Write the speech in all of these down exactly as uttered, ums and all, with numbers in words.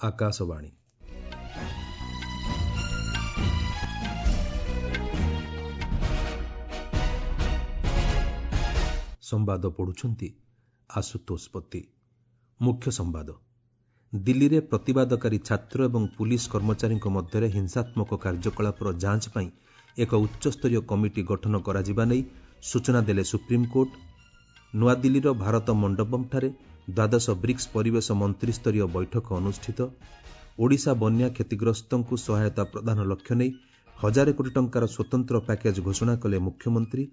ଆକାଶବାଣୀ। ସମ୍ବାଦ ପଢ଼ୁଛନ୍ତି ଆଶୁତୋଷ ପତି। ମୁଖ୍ୟ ସମ୍ବାଦ। ଦିଲ୍ଲୀରେ ପ୍ରତିବାଦକାରୀ ଛାତ୍ର ଏବଂ ପୁଲିସ କର୍ମଚାରୀଙ୍କ ମଧ୍ୟରେ ହିଂସାତ୍ମକ କାର୍ଯ୍ୟକଳାପର ଯାଞ୍ଚ ପାଇଁ ଏକ ଉଚ୍ଚସ୍ତରୀୟ କମିଟି ଗଠନ କରାଯିବା ନେଇ ସୂଚନା ଦେଲେ ସୁପ୍ରିମକୋର୍ଟ। ନୂଆଦିଲ୍ଲୀର ଭାରତ ମଣ୍ଡପମ୍ଠାରେ ଦ୍ୱାଦଶ ବ୍ରିକ୍ସ ପରିବେଶ ମନ୍ତ୍ରିସ୍ତରୀୟ ବୈଠକ ଅନୁଷ୍ଠିତ। ଓଡ଼ିଶା ବନ୍ୟା କ୍ଷତିଗ୍ରସ୍ତଙ୍କୁ ସହାୟତା ପ୍ରଦାନ ଲକ୍ଷ୍ୟ ନେଇ ହଜାରେ କୋଟି ଟଙ୍କାର ସ୍ୱତନ୍ତ୍ର ପ୍ୟାକେଜ୍ ଘୋଷଣା କଲେ ମୁଖ୍ୟମନ୍ତ୍ରୀ।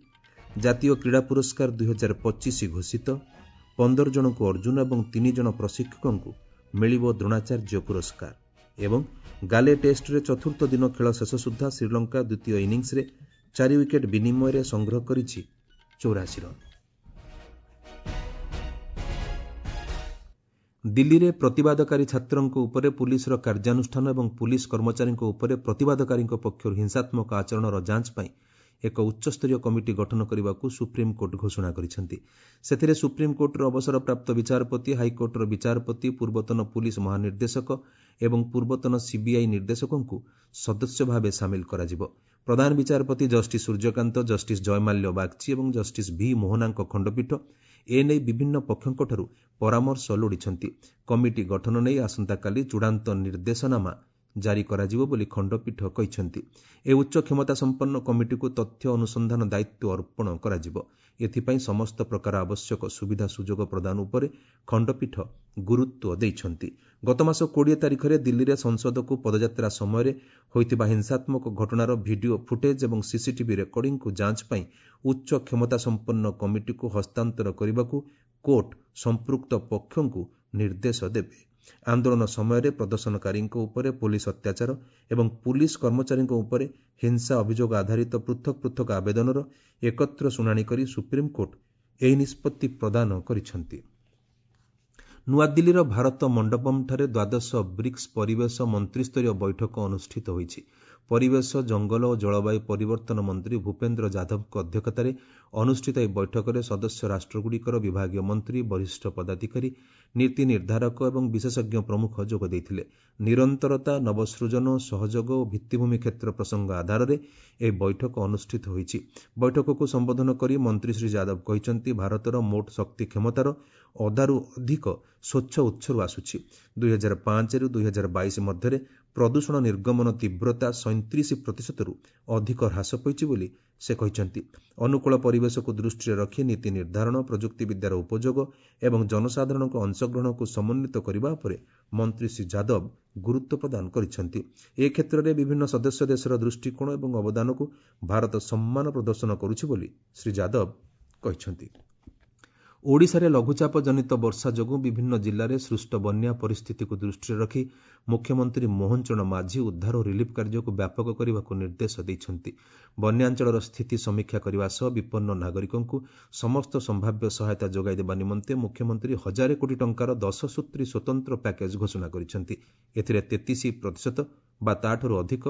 ଜାତୀୟ କ୍ରୀଡ଼ା ପୁରସ୍କାର ଦୁଇହଜାର ପଚିଶ ଘୋଷିତ। ପନ୍ଦର ଜଣଙ୍କୁ ଅର୍ଜୁନ ଏବଂ ତିନି ଜଣ ପ୍ରଶିକ୍ଷକଙ୍କୁ ମିଳିବ ଦ୍ରୋଣାଚାର୍ଯ୍ୟ ପୁରସ୍କାର। ଏବଂ ଗାଲେ ଟେଷ୍ଟରେ ଚତୁର୍ଥ ଦିନ ଖେଳ ଶେଷ ସୁଦ୍ଧା ଶ୍ରୀଲଙ୍କା ଦ୍ୱିତୀୟ ଇନିଂସରେ ଚାରି ୱିକେଟ୍ ବିନିମୟରେ ସଂଗ୍ରହ କରିଛି ଚଉରାଶୀ ରନ୍। ଦିଲ୍ଲୀରେ ପ୍ରତିବାଦକାରୀ ଛାତ୍ରଙ୍କ ଉପରେ ପୁଲିସର କାର୍ଯ୍ୟାନୁଷ୍ଠାନ ଏବଂ ପୁଲିସ କର୍ମଚାରୀଙ୍କ ଉପରେ ପ୍ରତିବାଦକାରୀଙ୍କ ପକ୍ଷରୁ ହିଂସାତ୍ମକ ଆଚରଣର ଯାଞ୍ଚ ପାଇଁ ଏକ ଉଚ୍ଚସ୍ତରୀୟ କମିଟି ଗଠନ କରିବାକୁ ସୁପ୍ରିମକୋର୍ଟ ଘୋଷଣା କରିଛନ୍ତି। ସେଥିରେ ସୁପ୍ରିମକୋର୍ଟର ଅବସରପ୍ରାପ୍ତ ବିଚାରପତି, ହାଇକୋର୍ଟର ବିଚାରପତି, ପୂର୍ବତନ ପୁଲିସ ମହାନିର୍ଦ୍ଦେଶକ ଏବଂ ପୂର୍ବତନ ସିବିଆଇ ନିର୍ଦ୍ଦେଶକଙ୍କୁ ସଦସ୍ୟ ଭାବେ ସାମିଲ କରାଯିବ। ପ୍ରଧାନ ବିଚାରପତି ଜଷ୍ଟିସ୍ ସୂର୍ଯ୍ୟକାନ୍ତ, ଜଷ୍ଟିସ୍ ଜୟମାଲ୍ୟ ବାଗ୍ଚୀ ଏବଂ ଜଷ୍ଟିସ୍ ଭି ମୋହନାଙ୍କ ଖଣ୍ଡପୀଠ ଏ ନେଇ ବିଭିନ୍ନ ପକ୍ଷଙ୍କଠାରୁ ପରାମର୍ଶ ଲୋଡ଼ିଛନ୍ତି। କମିଟି ଗଠନ ନେଇ ଆସନ୍ତାକାଲି ଚୂଡ଼ାନ୍ତ ନିର୍ଦ୍ଦେଶନାମା ଜାରି କରାଯିବ ବୋଲି ଖଣ୍ଡପୀଠ କହିଛନ୍ତି। ଏହି ଉଚ୍ଚ କ୍ଷମତାସମ୍ପନ୍ନ କମିଟିକୁ ତଥ୍ୟ ଅନୁସନ୍ଧାନ ଦାୟିତ୍ୱ ଅର୍ପଣ କରାଯିବ। ଏଥିପାଇଁ ସମସ୍ତ ପ୍ରକାର ଆବଶ୍ୟକ ସୁବିଧା ସୁଯୋଗ ପ୍ରଦାନ ଉପରେ ଖଣ୍ଡପୀଠ ଗୁରୁତ୍ୱ ଦେଇଛନ୍ତି। ଗତମାସ କୋଡ଼ିଏ ତାରିଖରେ ଦିଲ୍ଲୀରେ ସଂସଦକୁ ପଦଯାତ୍ରା ସମୟରେ ହୋଇଥିବା ହିଂସାତ୍ମକ ଘଟଣାର ଭିଡିଓ ଫୁଟେଜ୍ ଏବଂ ସିସିଟିଭି ରେକର୍ଡିଂକୁ ଯାଞ୍ଚ ପାଇଁ ଉଚ୍ଚ କ୍ଷମତାସମ୍ପନ୍ନ କମିଟିକୁ ହସ୍ତାନ୍ତର କରିବାକୁ କୋର୍ଟ ସମ୍ପୃକ୍ତ ପକ୍ଷଙ୍କୁ ନିର୍ଦ୍ଦେଶ ଦେବେ। ଆନ୍ଦୋଳନ ସମୟରେ ପ୍ରଦର୍ଶନକାରୀଙ୍କ ଉପରେ ପୋଲିସ ଅତ୍ୟାଚାର ଏବଂ ପୁଲିସ କର୍ମଚାରୀଙ୍କ ଉପରେ ହିଂସା ଅଭିଯୋଗ ଆଧାରିତ ପୃଥକ ପୃଥକ ଆବେଦନର ଏକତ୍ର ଶୁଣାଣି କରି ସୁପ୍ରିମକୋର୍ଟ ଏହି ନିଷ୍ପତ୍ତି ପ୍ରଦାନ କରିଛନ୍ତି। ନୂଆଦିଲ୍ଲୀର ଭାରତ ମଣ୍ଡପମ୍ଠାରେ ଦ୍ୱାଦଶ ବ୍ରିକ୍ସ ପରିବେଶ ମନ୍ତ୍ରିସ୍ତରୀୟ ବୈଠକ ଅନୁଷ୍ଠିତ ହୋଇଛି। ପରିବେଶ, ଜଙ୍ଗଲ ଓ ଜଳବାୟୁ ପରିବର୍ତ୍ତନ ମନ୍ତ୍ରୀ ଭୂପେନ୍ଦ୍ର ଯାଦବଙ୍କ ଅଧ୍ୟକ୍ଷତାରେ ଅନୁଷ୍ଠିତ ଏହି ବୈଠକରେ ସଦସ୍ୟ ରାଷ୍ଟ୍ରଗୁଡ଼ିକର ବିଭାଗୀୟ ମନ୍ତ୍ରୀ, ବରିଷ୍ଠ ପଦାଧିକାରୀ, ନୀତି ନିର୍ଦ୍ଧାରକ ଏବଂ ବିଶେଷଜ୍ଞ ପ୍ରମୁଖ ଯୋଗ ଦେଇଥିଲେ। ନିରନ୍ତରତା, ନବସୃଜନ, ସହଯୋଗ ଓ ଭିତ୍ତିଭୂମି କ୍ଷେତ୍ର ପ୍ରସଙ୍ଗ ଆଧାରରେ ଏହି ବୈଠକ ଅନୁଷ୍ଠିତ ହୋଇଛି। ବୈଠକକୁ ସମ୍ବୋଧନ କରି ମନ୍ତ୍ରୀ ଶ୍ରୀ ଯାଦବ କହିଛନ୍ତି, ଭାରତର ମୋଟ ଶକ୍ତି କ୍ଷମତାର ଅଧାରୁ ଅଧିକ ସ୍ୱଚ୍ଛ ଉତ୍ସରୁ ଆସୁଛି। ଦୁଇହଜାର ପାଞ୍ଚରୁ ଦୁଇହଜାର ବାଇଶ ମଧ୍ୟରେ ପ୍ରଦୂଷଣ ନିର୍ଗମନ ତୀବ୍ରତା ସଇଁତିରିଶ ପ୍ରତିଶତରୁ ଅଧିକ ହ୍ରାସ ପାଇଛି ବୋଲି ସେ କହିଛନ୍ତି। ଅନୁକୂଳ ପରିବେଶକୁ ଦୃଷ୍ଟିରେ ରଖି ନୀତି ନିର୍ଦ୍ଧାରଣ, ପ୍ରଯୁକ୍ତିବିଦ୍ୟାର ଉପଯୋଗ ଏବଂ ଜନସାଧାରଣଙ୍କ ଅଂଶଗ୍ରହଣକୁ ସମନ୍ୱିତ କରିବା ଉପରେ ମନ୍ତ୍ରୀ ଶ୍ରୀ ଯାଦବ ଗୁରୁତ୍ୱ ପ୍ରଦାନ କରିଛନ୍ତି। ଏ କ୍ଷେତ୍ରରେ ବିଭିନ୍ନ ସଦସ୍ୟ ଦେଶର ଦୃଷ୍ଟିକୋଣ ଏବଂ ଅବଦାନକୁ ଭାରତ ସମ୍ମାନ ପ୍ରଦର୍ଶନ କରୁଛି ବୋଲି ଶ୍ରୀ ଯାଦବ କହିଛନ୍ତି। ଓଡ଼ିଶାରେ ଲଘୁଚାପ ଜନିତ ବର୍ଷା ଯୋଗୁଁ ବିଭିନ୍ନ ଜିଲ୍ଲାରେ ସୃଷ୍ଟ ବନ୍ୟା ପରିସ୍ଥିତିକୁ ଦୃଷ୍ଟିରେ ରଖି ମୁଖ୍ୟମନ୍ତ୍ରୀ ମୋହନ ଚରଣ ମାଝୀ ଉଦ୍ଧାର ଓ ରିଲିଫ୍ କାର୍ଯ୍ୟକୁ ବ୍ୟାପକ କରିବାକୁ ନିର୍ଦ୍ଦେଶ ଦେଇଛନ୍ତି। ବନ୍ୟାଞ୍ଚଳର ସ୍ଥିତି ସମୀକ୍ଷା କରିବା ସହ ବିପନ୍ନ ନାଗରିକଙ୍କୁ ସମସ୍ତ ସମ୍ଭାବ୍ୟ ସହାୟତା ଯୋଗାଇ ଦେବା ନିମନ୍ତେ ମୁଖ୍ୟମନ୍ତ୍ରୀ ହଜାରେ କୋଟି ଟଙ୍କାର ଦଶ ସୂତ୍ରୀ ସ୍ୱତନ୍ତ୍ର ପ୍ୟାକେଜ୍ ଘୋଷଣା କରିଛନ୍ତି। ଏଥିରେ ତେତିଶ ପ୍ରତିଶତ ବା ତା'ଠାରୁ ଅଧିକ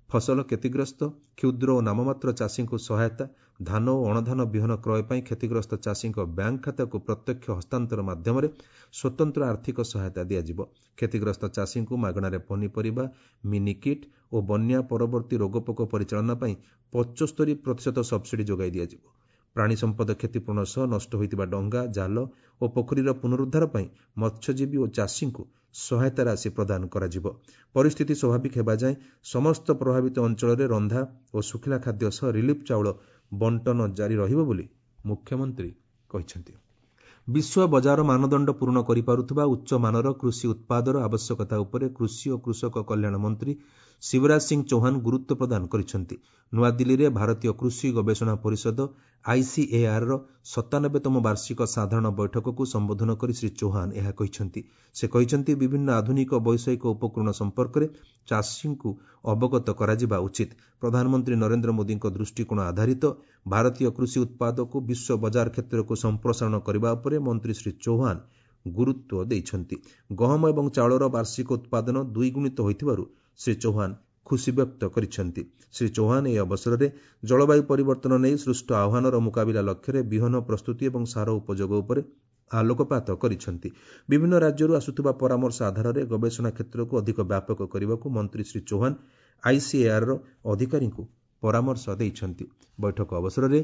ଫସଲ କ୍ଷତିଗ୍ରସ୍ତ କ୍ଷୁଦ୍ର ଓ ନାମମାତ୍ର ଚାଷୀଙ୍କୁ ସହାୟତା, ଧାନ ଓ ଅଣଧାନ ବିହନ କ୍ରୟ ପାଇଁ କ୍ଷତିଗ୍ରସ୍ତ ଚାଷୀଙ୍କ ବ୍ୟାଙ୍କ ଖାତାକୁ ପ୍ରତ୍ୟକ୍ଷ ହସ୍ତାନ୍ତର ମାଧ୍ୟମରେ ସ୍ୱତନ୍ତ୍ର ଆର୍ଥିକ ସହାୟତା ଦିଆଯିବ। କ୍ଷତିଗ୍ରସ୍ତ ଚାଷୀଙ୍କୁ ମାଗଣାରେ ପନିପରିବା, ମିନି କିଟ୍ ଓ ବନ୍ୟା ପରବର୍ତ୍ତୀ ରୋଗପୋକ ପରିଚାଳନା ପାଇଁ ପଞ୍ଚସ୍ତରୀ ପ୍ରତିଶତ ସବ୍ସିଡି ଯୋଗାଇ ଦିଆଯିବ। ପ୍ରାଣୀ ସମ୍ପଦ କ୍ଷତିପୂରଣ ସହ ନଷ୍ଟ ହୋଇଥିବା ଡଙ୍ଗା, ଜାଲ ଓ ପୋଖରୀର ପୁନରୁଦ୍ଧାର ପାଇଁ ମତ୍ସ୍ୟଜୀବୀ ଓ ଚାଷୀଙ୍କୁ ସହାୟତା ରାଶି ପ୍ରଦାନ କରାଯିବ। ପରିସ୍ଥିତି ସ୍ୱାଭାବିକ ହେବା ଯାଏଁ ସମସ୍ତ ପ୍ରଭାବିତ ଅଞ୍ଚଳରେ ରନ୍ଧା ଓ ଶୁଖିଲା ଖାଦ୍ୟ ସହ ରିଲିଫ୍ ଚାଉଳ ବଣ୍ଟନ ଜାରି ରହିବ ବୋଲି ମୁଖ୍ୟମନ୍ତ୍ରୀ କହିଛନ୍ତି। ବିଶ୍ୱ ବଜାର ମାନଦଣ୍ଡ ପୂରଣ କରିପାରୁଥିବା ଉଚ୍ଚମାନର କୃଷି ଉତ୍ପାଦର ଆବଶ୍ୟକତା ଉପରେ କୃଷି ଓ କୃଷକ କଲ୍ୟାଣ ମନ୍ତ୍ରୀ ଶିବରାଜ ସିଂ ଚୌହାନ ଗୁରୁତ୍ୱ ପ୍ରଦାନ କରିଛନ୍ତି। ନୂଆଦିଲ୍ଲୀରେ ଭାରତୀୟ କୃଷି ଗବେଷଣା ପରିଷଦ ଆଇସିଏଆର୍ର ସତାନବେତମ ବାର୍ଷିକ ସାଧାରଣ ବୈଠକକୁ ସମ୍ବୋଧନ କରି ଶ୍ରୀ ଚୌହାନ ଏହା କହିଛନ୍ତି। ସେ କହିଛନ୍ତି, ବିଭିନ୍ନ ଆଧୁନିକ ବୈଷୟିକ ଉପକରଣ ସମ୍ପର୍କରେ ଚାଷୀଙ୍କୁ ଅବଗତ କରାଯିବା ଉଚିତ। ପ୍ରଧାନମନ୍ତ୍ରୀ ନରେନ୍ଦ୍ର ମୋଦୀଙ୍କ ଦୃଷ୍ଟିକୋଣ ଆଧାରିତ ଭାରତୀୟ କୃଷି ଉତ୍ପାଦକୁ ବିଶ୍ୱ ବଜାର କ୍ଷେତ୍ରକୁ ସମ୍ପ୍ରସାରଣ କରିବା ଉପରେ ମନ୍ତ୍ରୀ ଶ୍ରୀ ଚୌହାନ ଗୁରୁତ୍ୱ ଦେଇଛନ୍ତି। ଗହମ ଏବଂ ଚାଉଳର ବାର୍ଷିକ ଉତ୍ପାଦନ ଦ୍ୱିଗୁଣିତ ହୋଇଥିବାରୁ ଶ୍ରୀ ଚୌହାନ ଖୁସି ବ୍ୟକ୍ତ କରିଛନ୍ତି। ଶ୍ରୀ ଚୌହାନ ଏହି ଅବସରରେ ଜଳବାୟୁ ପରିବର୍ତ୍ତନ ନେଇ ସୃଷ୍ଟ ଆହ୍ୱାନର ମୁକାବିଲା ଲକ୍ଷ୍ୟରେ ବିହନ ପ୍ରସ୍ତୁତି ଏବଂ ସାର ଉପଯୋଗ ଉପରେ ଆଲୋକପାତ କରିଛନ୍ତି। ବିଭିନ୍ନ ରାଜ୍ୟରୁ ଆସୁଥିବା ପରାମର୍ଶ ଆଧାରରେ ଗବେଷଣା କ୍ଷେତ୍ରକୁ ଅଧିକ ବ୍ୟାପକ କରିବାକୁ ମନ୍ତ୍ରୀ ଶ୍ରୀ ଚୌହାନ ଆଇସିଏଆର୍ର ଅଧିକାରୀଙ୍କୁ ପରାମର୍ଶ ଦେଇଛନ୍ତି। ବୈଠକ ଅବସରରେ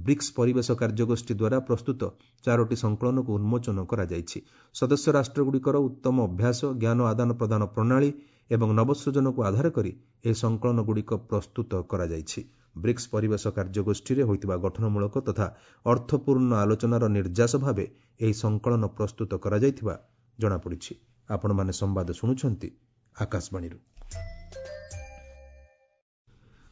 ବ୍ରିକ୍ସ ପରିବେଶ କାର୍ଯ୍ୟଗୋଷ୍ଠୀ ଦ୍ୱାରା ପ୍ରସ୍ତୁତ ଚାରୋଟି ସଂକଳନକୁ ଉନ୍ମୋଚନ କରାଯାଇଛି। ସଦସ୍ୟ ରାଷ୍ଟ୍ରଗୁଡ଼ିକର ଉତ୍ତମ ଅଭ୍ୟାସ, ଜ୍ଞାନ ଆଦାନ ପ୍ରଦାନ ପ୍ରଣାଳୀ ଏବଂ ନବସୃଜନକୁ ଆଧାର କରି ଏହି ସଂକଳନଗୁଡ଼ିକ ପ୍ରସ୍ତୁତ କରାଯାଇଛି। ବ୍ରିକ୍ସ ପରିବେଶ କାର୍ଯ୍ୟଗୋଷ୍ଠୀରେ ହୋଇଥିବା ଗଠନମୂଳକ ତଥା ଅର୍ଥପୂର୍ଣ୍ଣ ଆଲୋଚନାର ନିର୍ଯାସ ଭାବେ ଏହି ସଂକଳନ ପ୍ରସ୍ତୁତ କରାଯାଇଥିବା ଜଣାପଡ଼ିଛି। ଆପଣମାନେ ସମ୍ବାଦ ଶୁଣୁଛନ୍ତି ଆକାଶବାଣୀରୁ।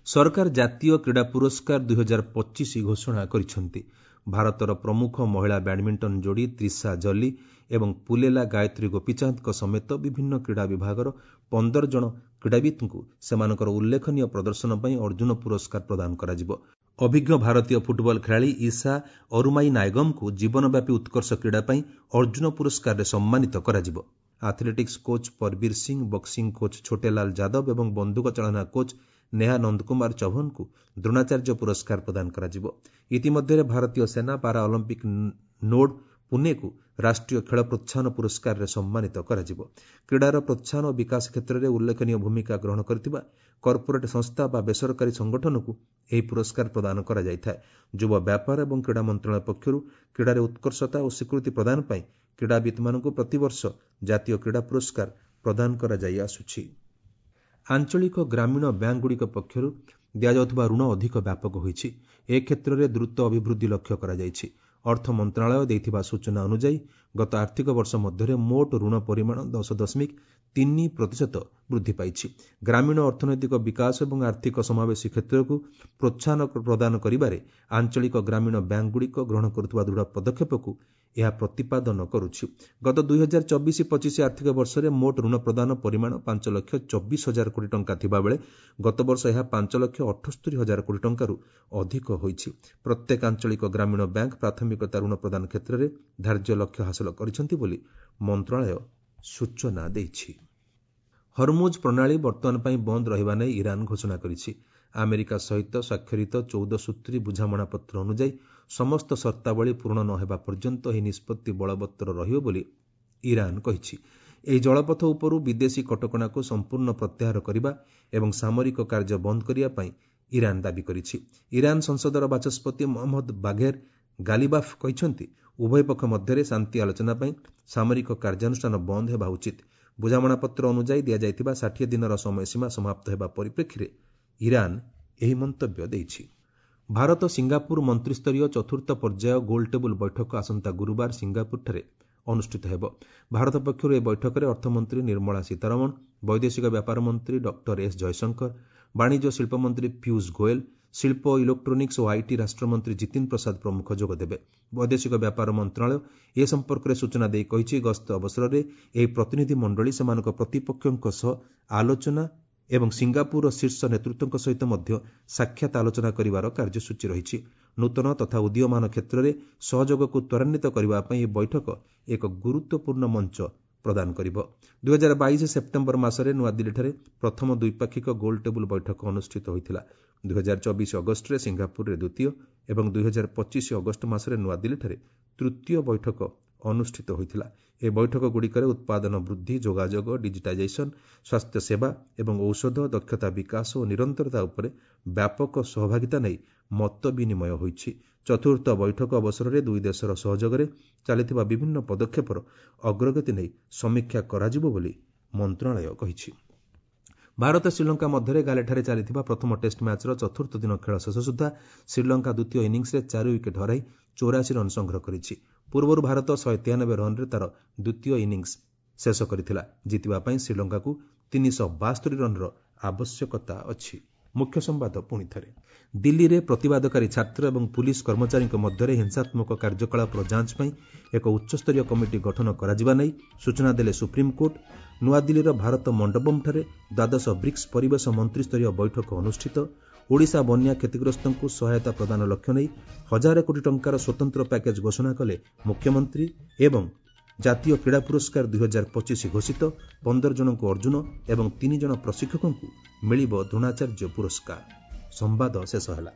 ସରକାର ଜାତୀୟ କ୍ରୀଡ଼ା ପୁରସ୍କାର ଦୁଇହଜାର ପଚିଶ ଘୋଷଣା କରିଛନ୍ତି। ଭାରତର ପ୍ରମୁଖ ମହିଳା ବ୍ୟାଡମିଣ୍ଟନ ଯୋଡ଼ି ତ୍ରିଶା ଜଲି ଏବଂ ପୁଲେଲା ଗାୟତ୍ରୀ ଗୋପୀଚାନ୍ଦଙ୍କ ସମେତ ବିଭିନ୍ନ କ୍ରୀଡ଼ା ବିଭାଗର ପନ୍ଦର ଜଣ କ୍ରୀଡ଼ାବିତ୍ଙ୍କୁ ସେମାନଙ୍କର ଉଲ୍ଲେଖନୀୟ ପ୍ରଦର୍ଶନ ପାଇଁ ଅର୍ଜୁନ ପୁରସ୍କାର ପ୍ରଦାନ କରାଯିବ। ଅଭିଜ୍ଞ ଭାରତୀୟ ଫୁଟବଲ ଖେଳାଳି ଇଶା ଅରୁମାଇ ନାୟଗମଙ୍କୁ ଜୀବନବ୍ୟାପୀ ଉତ୍କର୍ଷ କ୍ରୀଡ଼ା ପାଇଁ ଅର୍ଜୁନ ପୁରସ୍କାରରେ ସମ୍ମାନିତ କରାଯିବ। Athletics coach Parbir Singh, boxing coach Chhotelal Yadav ଏବଂ ବନ୍ଧୁକ ଚାଳନା କୋଚ୍ ନେହା ନନ୍ଦକୁମାର ଚୌହାନଙ୍କୁ ଦ୍ରୋଣାଚାର୍ଯ୍ୟ ପୁରସ୍କାର ପ୍ରଦାନ କରାଯିବ। ଇତିମଧ୍ୟରେ ଭାରତୀୟ ସେନା ପାରା ଅଲିମ୍ପିକ୍ ନୋଡ୍ ପୁନେକୁ ରାଷ୍ଟ୍ରୀୟ ଖେଳ ପ୍ରୋତ୍ସାହନ ପୁରସ୍କାରରେ ସମ୍ମାନିତ କରାଯିବ। କ୍ରୀଡ଼ାର ପ୍ରୋତ୍ସାହନ ଓ ବିକାଶ କ୍ଷେତ୍ରରେ ଉଲ୍ଲେଖନୀୟ ଭୂମିକା ଗ୍ରହଣ କରିଥିବା କର୍ପୋରେଟ୍ ସଂସ୍ଥା ବା ବେସରକାରୀ ସଂଗଠନକୁ ଏହି ପୁରସ୍କାର ପ୍ରଦାନ କରାଯାଇଥାଏ। ଯୁବ ବ୍ୟାପାର ଏବଂ କ୍ରୀଡ଼ା ମନ୍ତ୍ରଣାଳୟ ପକ୍ଷରୁ କ୍ରୀଡ଼ାରେ ଉତ୍କର୍ଷତା ଓ ସ୍ୱୀକୃତି ପ୍ରଦାନ ପାଇଁ କ୍ରୀଡ଼ାବିତ୍ମାନଙ୍କୁ ପ୍ରତିବର୍ଷ ଜାତୀୟ କ୍ରୀଡ଼ା ପୁରସ୍କାର ପ୍ରଦାନ କରାଯାଇ ଆସୁଛି। ଆଞ୍ଚଳିକ ଗ୍ରାମୀଣ ବ୍ୟାଙ୍କଗୁଡ଼ିକ ପକ୍ଷରୁ ଦିଆଯାଉଥିବା ଋଣ ଅଧିକ ବ୍ୟାପକ ହୋଇଛି। ଏ କ୍ଷେତ୍ରରେ ଦ୍ରୁତ ଅଭିବୃଦ୍ଧି ଲକ୍ଷ୍ୟ କରାଯାଇଛି। ଅର୍ଥ ମନ୍ତ୍ରଣାଳୟ ଦେଇଥିବା ସୂଚନା ଅନୁଯାୟୀ ଗତ ଆର୍ଥିକ ବର୍ଷ ମଧ୍ୟରେ ମୋଟ ଋଣ ପରିମାଣ ଦଶ ଦଶମିକ ତିନି ପ୍ରତିଶତ ବୃଦ୍ଧି ପାଇଛି। ଗ୍ରାମୀଣ ଅର୍ଥନୈତିକ ବିକାଶ ଏବଂ ଆର୍ଥିକ ସମାବେଶୀ କ୍ଷେତ୍ରକୁ ପ୍ରୋତ୍ସାହନ ପ୍ରଦାନ କରିବାରେ ଆଞ୍ଚଳିକ ଗ୍ରାମୀଣ ବ୍ୟାଙ୍କଗୁଡ଼ିକ ଗ୍ରହଣ କରୁଥିବା ଦୃଢ଼ ପଦକ୍ଷେପକୁ ଏହା ପ୍ରତିପାଦନ କରୁଛି। ଗତ ଦୁଇହଜାର ଚବିଶ ପଚିଶ ଆର୍ଥିକ ବର୍ଷରେ ମୋଟ ଋଣ ପ୍ରଦାନ ପରିମାଣ ପାଞ୍ଚ ଲକ୍ଷ ଚବିଶ ହଜାର କୋଟି ଟଙ୍କା ଥିବାବେଳେ ଗତବର୍ଷ ଏହା ପାଞ୍ଚ ଲକ୍ଷ ଅଠସ୍ତରୀ ହଜାର କୋଟି ଟଙ୍କାରୁ ଅଧିକ ହୋଇଛି। ପ୍ରତ୍ୟେକ ଆଞ୍ଚଳିକ ଗ୍ରାମୀଣ ବ୍ୟାଙ୍କ ପ୍ରାଥମିକତା ଋଣ ପ୍ରଦାନ କ୍ଷେତ୍ରରେ ଧାର୍ଯ୍ୟ ଲକ୍ଷ୍ୟ ହାସଲ କରିଛନ୍ତି ବୋଲି ମନ୍ତ୍ରଣାଳୟ ସୂଚନା ଦେଇଛି। ହରମୁଜ ପ୍ରଣାଳୀ ବର୍ତ୍ତମାନ ପାଇଁ ବନ୍ଦ ରହିବା ନେଇ ଇରାନ ଘୋଷଣା କରିଛି। ଆମେରିକା ସହିତ ସ୍ୱାକ୍ଷରିତ ଚଉଦ ସୂତ୍ରୀ ବୁଝାମଣାପତ୍ର ଅନୁଯାୟୀ ସମସ୍ତ ସର୍ତ୍ତାବଳୀ ପୂରଣ ନ ହେବା ପର୍ଯ୍ୟନ୍ତ ଏହି ନିଷ୍ପତ୍ତି ବଳବତ୍ତର ରହିବ ବୋଲି ଇରାନ କହିଛି। ଏହି ଜଳପଥ ଉପରୁ ବିଦେଶୀ କଟକଣାକୁ ସମ୍ପୂର୍ଣ୍ଣ ପ୍ରତ୍ୟାହାର କରିବା ଏବଂ ସାମରିକ କାର୍ଯ୍ୟ ବନ୍ଦ କରିବା ପାଇଁ ଇରାନ ଦାବି କରିଛି। ଇରାନ ସଂସଦର ବାଚସ୍ପତି ମହମ୍ମଦ ବାଘେର ଗାଲିବାଫ୍ କହିଛନ୍ତି, ଉଭୟ ପକ୍ଷ ମଧ୍ୟରେ ଶାନ୍ତି ଆଲୋଚନା ପାଇଁ ସାମରିକ କାର୍ଯ୍ୟାନୁଷ୍ଠାନ ବନ୍ଦ ହେବା ଉଚିତ। ବୁଝାମଣାପତ୍ର ଅନୁଯାୟୀ ଦିଆଯାଇଥିବା ଷାଠିଏ ଦିନର ସମୟସୀମା ସମାପ୍ତ ହେବା ପରିପ୍ରେକ୍ଷୀରେ ଇରାନ ଏହି ମନ୍ତବ୍ୟ ଦେଇଛି। ଭାରତ ସିଙ୍ଗାପୁର ମନ୍ତ୍ରିସ୍ତରୀୟ ଚତୁର୍ଥ ପର୍ଯ୍ୟାୟ ଗୋଲଟେବୁଲ ବୈଠକ ଆସନ୍ତା ଗୁରୁବାର ସିଙ୍ଗାପୁରଠାରେ ଅନୁଷ୍ଠିତ ହେବ। ଭାରତ ପକ୍ଷରୁ ଏହି ବୈଠକରେ ଅର୍ଥମନ୍ତ୍ରୀ ନିର୍ମଳା ସୀତାରମଣ, ବୈଦେଶିକ ବ୍ୟାପାର ମନ୍ତ୍ରୀ ଡକ୍ଟର ଏସ୍ ଜୟଶଙ୍କର, ବାଣିଜ୍ୟ ଶିଳ୍ପମନ୍ତ୍ରୀ ପୀୟୁଷ ଗୋଏଲ, ଶିଳ୍ପ, ଇଲେକ୍ଟ୍ରୋନିକ୍ସ ଓ IT ରାଷ୍ଟ୍ରମନ୍ତ୍ରୀ ଜିତିନ ପ୍ରସାଦ ପ୍ରମୁଖ ଯୋଗଦେବେ। ବୈଦେଶିକ ବ୍ୟାପାର ମନ୍ତ୍ରଣାଳୟ ଏ ସମ୍ପର୍କରେ ସୂଚନା ଦେଇ କହିଛି, ଗସ୍ତ ଅବସରରେ ଏହି ପ୍ରତିନିଧି ମଣ୍ଡଳୀ ସେମାନଙ୍କ ପ୍ରତିପକ୍ଷଙ୍କ ସହ ଆଲୋଚନା ଏବଂ ସିଙ୍ଗାପୁରର ଶୀର୍ଷ ନେତୃତ୍ୱଙ୍କ ସହିତ ମଧ୍ୟ ସାକ୍ଷାତ ଆଲୋଚନା କରିବାର କାର୍ଯ୍ୟସୂଚୀ ରହିଛି। ନୂତନ ତଥା ଉଦୀୟମାନ କ୍ଷେତ୍ରରେ ସହଯୋଗକୁ ତ୍ୱରାନ୍ୱିତ କରିବା ପାଇଁ ଏହି ବୈଠକ ଏକ ଗୁରୁତ୍ୱପୂର୍ଣ୍ଣ ମଞ୍ଚ ପ୍ରଦାନ କରିବ। ଦୁଇହଜାର ବାଇଶ ସେପ୍ଟେମ୍ବର ମାସରେ ନୂଆଦିଲ୍ଲୀଠାରେ ପ୍ରଥମ ଦ୍ୱିପାକ୍ଷିକ ଗୋଲଟେବୁଲ ବୈଠକ ଅନୁଷ୍ଠିତ ହୋଇଥିଲା। ଦୁଇହଜାର ଚବିଶ ଅଗଷ୍ଟରେ ସିଙ୍ଗାପୁରରେ ଦ୍ୱିତୀୟ ଏବଂ ଦୁଇହଜାର ପଚିଶ ଅଗଷ୍ଟ ମାସରେ ନୂଆଦିଲ୍ଲୀଠାରେ ତୃତୀୟ ବୈଠକ ଅନୁଷ୍ଠିତ ହୋଇଥିଲା। ଏହି ବୈଠକଗୁଡ଼ିକରେ ଉତ୍ପାଦନ ବୃଦ୍ଧି, ଯୋଗାଯୋଗ, ଡିଜିଟାଇଜେସନ, ସ୍ୱାସ୍ଥ୍ୟସେବା ଏବଂ ଔଷଧ, ଦକ୍ଷତା ବିକାଶ ଓ ନିରନ୍ତରତା ଉପରେ ବ୍ୟାପକ ସହଭାଗିତା ନେଇ ମତ ବିନିମୟ ହୋଇଛି। ଚତୁର୍ଥ ବୈଠକ ଅବସରରେ ଦୁଇ ଦେଶର ସହଯୋଗରେ ଚାଲିଥିବା ବିଭିନ୍ନ ପଦକ୍ଷେପର ଅଗ୍ରଗତି ନେଇ ସମୀକ୍ଷା କରାଯିବ ବୋଲି ମନ୍ତ୍ରଣାଳୟ କହିଛି। ଭାରତ ଶ୍ରୀଲଙ୍କା ମଧ୍ୟରେ ଗାଲେଠାରେ ଚାଲିଥିବା ପ୍ରଥମ ଟେଷ୍ଟ ମ୍ୟାଚ୍ର ଚତୁର୍ଥ ଦିନ ଖେଳ ଶେଷ ସୁଦ୍ଧା ଶ୍ରୀଲଙ୍କା ଦ୍ୱିତୀୟ ଇନିଂସରେ ଚାରି ୱିକେଟ୍ ହରାଇ ଚଉରାଶୀ ରନ୍ ସଂଗ୍ରହ କରିଛି। ପୂର୍ବରୁ ଭାରତ ଶହେ ତେୟାନବେ ରନ୍ରେ ତାର ଦ୍ୱିତୀୟ ଇନିଂସ ଶେଷ କରିଥିଲା। ଜିତିବା ପାଇଁ ଶ୍ରୀଲଙ୍କାକୁ ତିନିଶହ ବାସ୍ତରି ରନ୍ର ଆବଶ୍ୟକତା ଅଛି। ମୁଖ୍ୟ ସମ୍ବାଦ ପୁଣି ଥରେ। ଦିଲ୍ଲୀରେ ପ୍ରତିବାଦକାରୀ ଛାତ୍ର ଏବଂ ପୁଲିସ କର୍ମଚାରୀଙ୍କ ମଧ୍ୟରେ ହିଂସାତ୍ମକ କାର୍ଯ୍ୟକଳାପର ଯାଞ୍ଚ ପାଇଁ ଏକ ଉଚ୍ଚସ୍ତରୀୟ କମିଟି ଗଠନ କରାଯିବା ନେଇ ସୂଚନା ଦେଲେ ସୁପ୍ରିମକୋର୍ଟ। ନୂଆଦିଲ୍ଲୀର ଭାରତ ମଣ୍ଡପମ୍ଠାରେ ଦ୍ୱାଦଶ ବ୍ରିକ୍ସ ପରିବେଶ ମନ୍ତ୍ରିସ୍ତରୀୟ ବୈଠକ ଅନୁଷ୍ଠିତ। ଓଡ଼ିଶା ବନ୍ୟା କ୍ଷତିଗ୍ରସ୍ତଙ୍କୁ ସହାୟତା ପ୍ରଦାନ ଲକ୍ଷ୍ୟ ନେଇ ହଜାରେ କୋଟି ଟଙ୍କାର ସ୍ୱତନ୍ତ୍ର ପ୍ୟାକେଜ୍ ଘୋଷଣା କଲେ ମୁଖ୍ୟମନ୍ତ୍ରୀ ଏବଂ ଜାତୀୟ କ୍ରୀଡ଼ା ପୁରସ୍କାର ଦୁଇହଜାର ପଚିଶ ଘୋଷିତ। ପନ୍ଦର ଜଣଙ୍କୁ ଅର୍ଜୁନ ଏବଂ ତିନି ଜଣ ପ୍ରଶିକ୍ଷକଙ୍କୁ ମିଳିବ ଦ୍ରୋଣାଚାର୍ଯ୍ୟ ପୁରସ୍କାର। ସମ୍ବାଦ ଶେଷ ହେଲା।